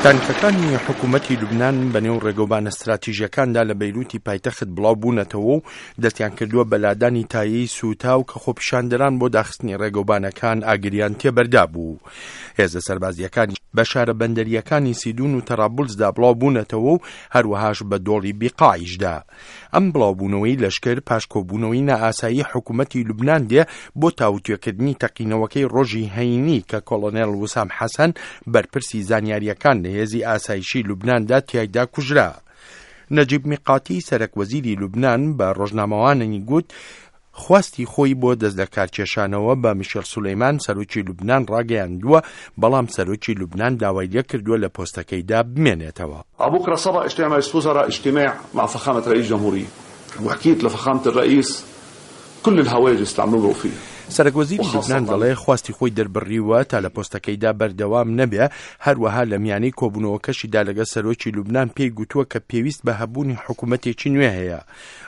تانکەکانی حکوومەتی لوبنان بەنێو ڕێگەوبانە ستراتیژیەکاندا لە بەیروتی پایتەخت بڵاو بوونەتەوە و دەستیان کردووە بە لادانی تایەی سووتاو کە خۆپیشاندەران بۆ داخستنی ڕێگەوبانەکان ئاگریان تێبەردا بوو. هێزە سەربازییەکانی بە شارە بەندەرییەکانی سیدون و تەرابولسدا بڵاو بوونەتەوە و هەروەهاش بە دۆڵی بیقاعیشدا. ئەم بڵاوبوونەوەی لەشکر پاش کۆبوونەوەی نائاسایی حکوومەتی لوبنان دێ بۆ تاوتوێکردنی تەقینەوەکەی ڕۆژی هەینی کە کۆڵۆنێڵ وسام حەسەن بەرپرسی زانیارییەکان لە هێزی ئاسایشی لوبناندا تیایدا کوژرا. نەجیب میقاتی سەرەک وەزیری لوبنان بە ڕۆژنامەوانانی گوت خواستی خۆی بۆ دەستلەکارکێشانەوە بە میشێل سولەیمان سەرۆکی لوبنان ڕاگەیاندووە، بەڵام سەرۆکی لوبنان داوای لێکردووە لە پۆستەکەیدا بمێنێتەوە. بكرة صبا اجتماع مجلس وزراء اجتماع مع فخامة رئيس جمهورية وحكيت لفخامة الرئيس كل الهواجس اللي عم نمرق فيها. سەرەک وەزیری لوبنان دەڵێ خواستی خۆی دەربڕیوە تا لە پۆستەکەیدا بەردەوام نەبێ، هەروەها لە میانەی کۆبوونەوەکەشیدا لەگەڵ سەرۆکی لوبنان پێی گوتووە کە پێویست بە هەبوونی حکوومەتێکی نوێ هەیە.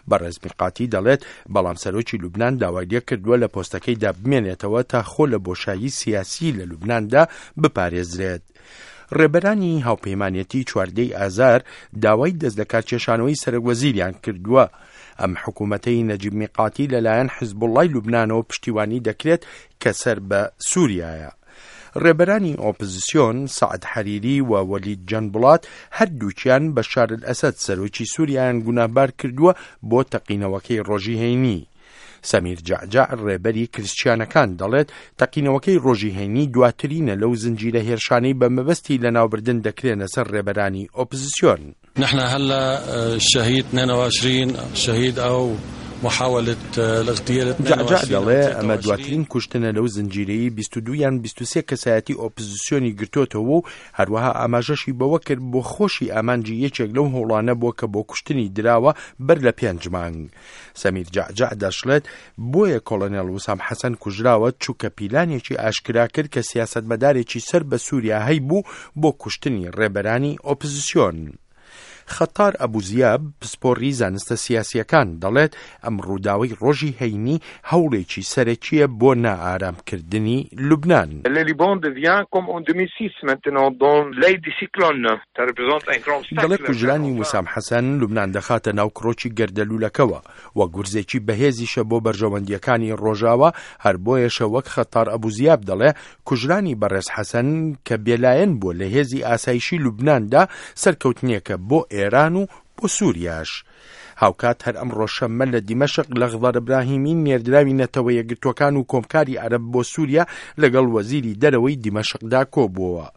بەڕێز میقاتی دەڵێت، بەڵام سەرۆکی لوبنان داوای لێکردووە لە پۆستەکەیدا بمێنێتەوە تا خۆ لە بۆشایی سیاسی لە لوبناندا بپارێزرێت. ڕێبەرانی هاوپەیمانێتی چواردەی ئازار داوای دەستلەکارکێشانەوەی سەرۆکوەزیریان کردووە. ئەم حکوومەتەی نەجیب میقاتی لەلایەن حزبوڵڵای لوبنانەوە پشتیوانی دەکرێت کە سەر بە سووریایە. ڕێبەرانی ئۆپزسیۆن، سەعد حەریری و وەلید جەنبوڵات، هەردووکیان بەشار ئەلئەسەد سەرۆکی سووریایان گوناهبار کردووە بۆ تەقینەوەکەی ڕۆژی هەینی. سەمیر جەعجەع ڕێبەری کریسچیانەکان دەڵێت، تەقینەوەکەی ڕۆژی هەینی دواترینە لەو زنجیرە هێرشانەی بە مەبەستی لەناوبردن دەکرێنە سەر ڕێبەرانی ئۆپزسیۆن. نحن هلا الشهيد 22 شهيد او محاولة الاغتيال جەعجەع دەڵێ، ئەمە دواترین کوشتنە لەو زنجیرەی 22 یان 23 کەسایەتی ئۆپزسیۆنی گرتۆتەوە و هەروەها ئاماژەشی بەوە کرد بۆ خۆشی ئامانجی یەکێک لەو هەوڵانە بووە کە بۆ کوشتنی دراوە بەر لە پێنج مانگ. سەمیر جەعجەع دەشڵێت، بۆیە کۆڵۆنێڵ وسام حەسەن کوژراوە، چونکە پیلانێکی ئاشکرا کرد کە سیاسەتمەدارێکی سەر بە سووریا هەیبوو بۆ کوشتنی ڕێبەرانی ئۆپزسیۆن. خەتار ئەبوزیاب، پسپۆڕی زانستە سیاسییەکان دەڵێت، ئەم ڕووداوەی ڕۆژی هەینی هەوڵێکی سەرەکییە بۆ نائارامکردنی لوبنان. Le Liban devient comme en 2006 maintenant dans l'œil du cyclone. دەڵێ کوژرانی وسام حەسەن لوبنان دەخاتە ناو کرۆکی گەردەلوولەکەوە و گورزێکی بەهێزیشە بۆ بەرژەوەندییەکانی ڕۆژاوا، هەر بۆیەشە وەک خەتار ئەبوزیاب دەڵێ کوژرانی بەڕێز حەسەن کە بێلایەن بووە لە هێزی ئاسایشی لوبناندا سەرکەوتنێکە بۆ ئێران و بۆ سووریاش. هاوکات هەر ئەمڕۆ شەممە لە دیمەشق لەخضەر ئیبراهیمی نێردراوی نەتەوە یەکگرتووەکان و کۆمکاری عەرەب بۆ سووریا لەگەڵ وەزیری دەرەوەی دیمەشقدا کۆبووەوە.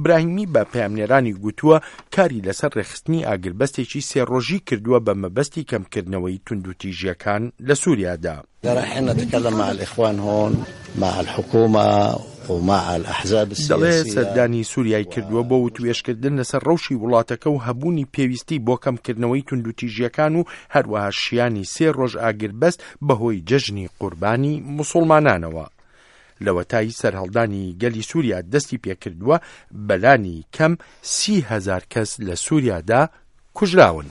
براهیمی بە پەیامنێرانی گوتووە کاری لەسەر ڕێکخستنی ئاگربەستێکی سێ ڕۆژی کردووە بە مەبەستی کەمکردنەوەی توندوتیژییەکان لە سووریادا. رايحين نتكلم مع الاخوان هون مع الحكومة ومع الاحزاب دەڵێ السياسية سەردانی سووریای کردووە بۆ وتوێژکردن لەسەر ڕەوشی وڵاتەکە و هەبوونی پێویستی بۆ کەمکردنەوەی توندوتیژییەکان و هەروەها شیانی سێ ڕۆژ ئاگربەست بەهۆی جەژنی قوربانی موسوڵمانانەوە. لەوەتای سەرهەڵدانی گەلی سووریا دەستی پێکردووە، بەلانی کەم 30 هەزار کەس لە سووریادا کوژراون.